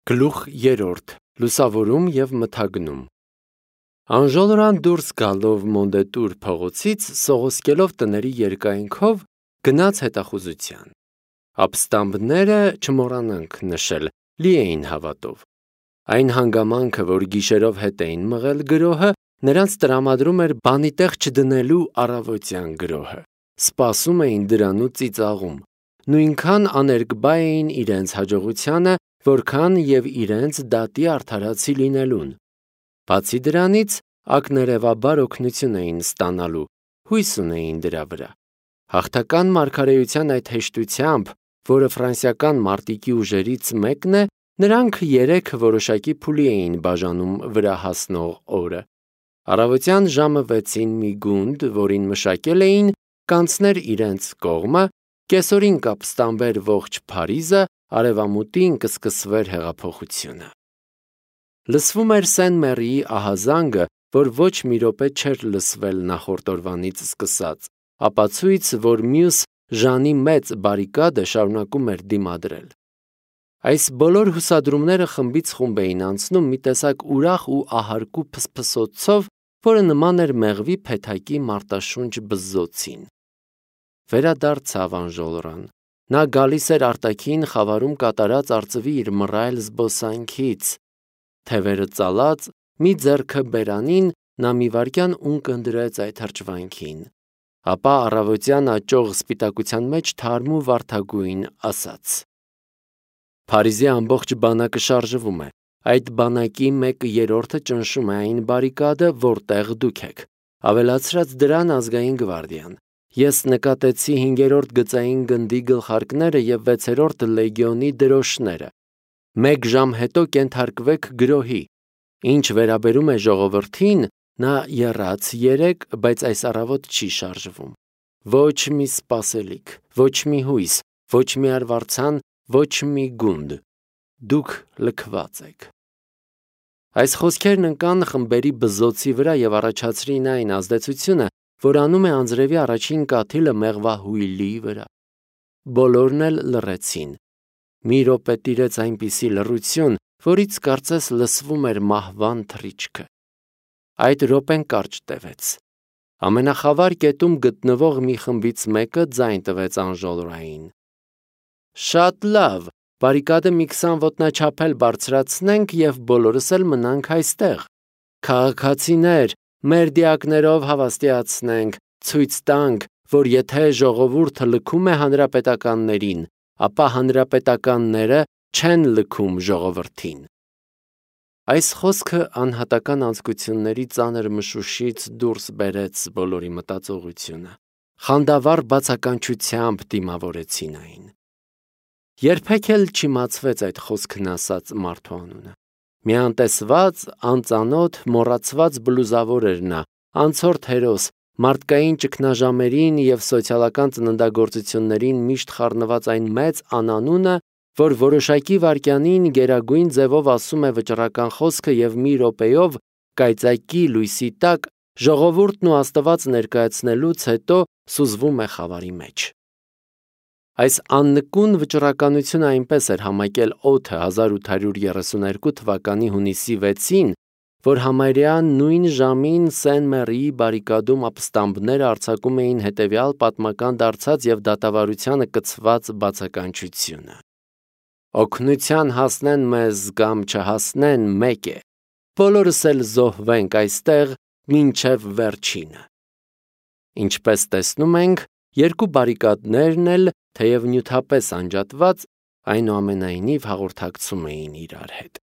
Գլուխ 3. Լուսավորում և մթագնում։ Անժոլորան դուրս գալով Մոնդետուր փողոցից, սողոսկելով տների երկայնքով, գնաց հետախուզության։ Ապստամբները, չմոռանանք նշել, լի էին հավատով։ Այն հանգամանքը, որ գիշերով հետ էին մղել գրոհը, նրանց տրամադրում էր բանի տեղ չդնելու առավոտյան գրոհը։ Սպասում էին դրանու ծիծաղում։ Նույնքան աներկբա էին իրենց հաջողությանը, որքան և իրենց դատի արդարացի լինելուն։ Բացի դրանից, ակներևաբար օգնություն էին ստանալու, հույս ունեին դրա վրա։ Հաղթական մարգարեության այդ հեշտությամբ, որը ֆրանսիական մարտիկի ուժերից մեկն է, նրանք 3 որոշակի փուլի էին բաժանում վրա հասնող օրը։ Առավոտյան ժամը 6-ին մի գունդ, որին մշակել էին, կանցներ իրենց կողմը, կեսօրին կապստամբեր ողջ Փարիզը, արևամուտին կսկսվեր հեղափոխությունը։ Լսվում էր Սեն-Մերիի ահազանգը, որ ոչ մի րոպե չէր լսվել նախորդ օրվանից սկսած, ապացույց, որ մյուս Ժանի մեծ բարիկադը շարունակում էր դիմադրել։ Այս բոլոր հուսադրումները խմբից խումբ էին անցնում մի տեսակ ուրախ ու ահարկու փսփսոցով, որը նման էր մեղվի փեթակի մարտաշունչ բզզոցին։ Վերադարձավ Անժոլորան։ Նա գալիս էր արտաքին խավարում կատարած արծվի իր մռայլ զբոսանքից։ Թևերը ծալած, մի ձեռքը բերանին, նա մի վայրկյան ունկ ընդրեց այդ հրճվանքին։ Ապա առավոտյան աճող սպիտակության մեջ թարմ ու վարդագույն ասաց. Փարիզի ամբողջ բանակը շարժվում է։ Այդ բանակի 1/3-ը ճնշում է այն բարիկադը, որտեղ դուք եք։ Ավելացրած դրան ազգային գվարդիան։ Ես նկատեցի 5-րդ գծային գնդի գլխարկները և 6-րդ լեգիոնի դրոշները։ 1 ժամ հետո կենթարկվեք գրոհի։ Ինչ վերաբերում է ժողովրդին, նա եռաց 3, բայց այս առավոտ չի շարժվում։ Ոչ մի սպասելիք, ոչ մի հույս, ոչ մի արվարձան, ոչ մի գունդ։ Դուք լքված եք։ Այս խոսքերն ընկան խմբերի բզզոցի վրա և առաջացրին այն ազդեցությունը, որ անում է անձրևի առաջին կաթիլը մեղվահույլի վրա։ Բոլորն էլ լռեցին։ Մի րոպե տիրեց այնպիսի լռություն, որից կարծես լսվում էր մահվան թռիչքը։ Այդ րոպեն կարճ տևեց։ Ամենախավար կետում գտնվող մի խմբից մեկը ձայն տվեց Անժոլորային. Շատ լավ, բարիկադը մի 20 ոտնաչափ էլ բարձրացնենք և բոլորս էլ մնանք այստեղ։ Քաղաքացիներ, մեր դիակներով հավաստիացնենք, ցույց տանք, որ եթե ժողովուրդը լքում է հանրապետականներին, ապա հանրապետականները չեն լքում ժողովրդին։ Այս խոսքը անհատական անձկությունների ծանր մշուշից դուրս բերեց բոլորի մտածողությունը։ Խանդավառ բացականչությամբ դիմավորեցին այն։ Երբեք էլ չիմացվեց այդ խոսքն ասած մարդու անունը։ Մի անտեսված, անծանոթ, մոռացված բլուզավոր էր նա, անցորդ հերոս, մարդկային ճգնաժամերին և սոցիալական ծննդագործություններին միշտ խառնված այն մեծ անանունը, որ որոշակի վայրկյանին գերագույն ձևով ասում է վճռական խոսքը և մի րոպեով, կայծակի լույսի տակ, ժողովուրդն ու Աստված ներկայացնելուց հետո սուզվում է խավարի մեջ։ Այս աննկուն վճռականությունը այնպես էր համակել օդը 1832 թվականի հունիսի 6-ին, որ համարյա նույն ժամին Սեն-Մերիի բարիկադում ապստամբները արձակում էին հետևյալ պատմական դարձած և դատավարությանը կցված բացականչությունը. Օգնության հասնեն մեզ կամ չհասնեն մեկ է, բոլորս էլ զոհվենք այստեղ մինչև վերջինը։ Ինչպես տեսնում ենք, երկու բարիկադներն էլ, թեև նյութապես անջատված, այնուամենայնիվ հաղորդակցում էին իրար հետ։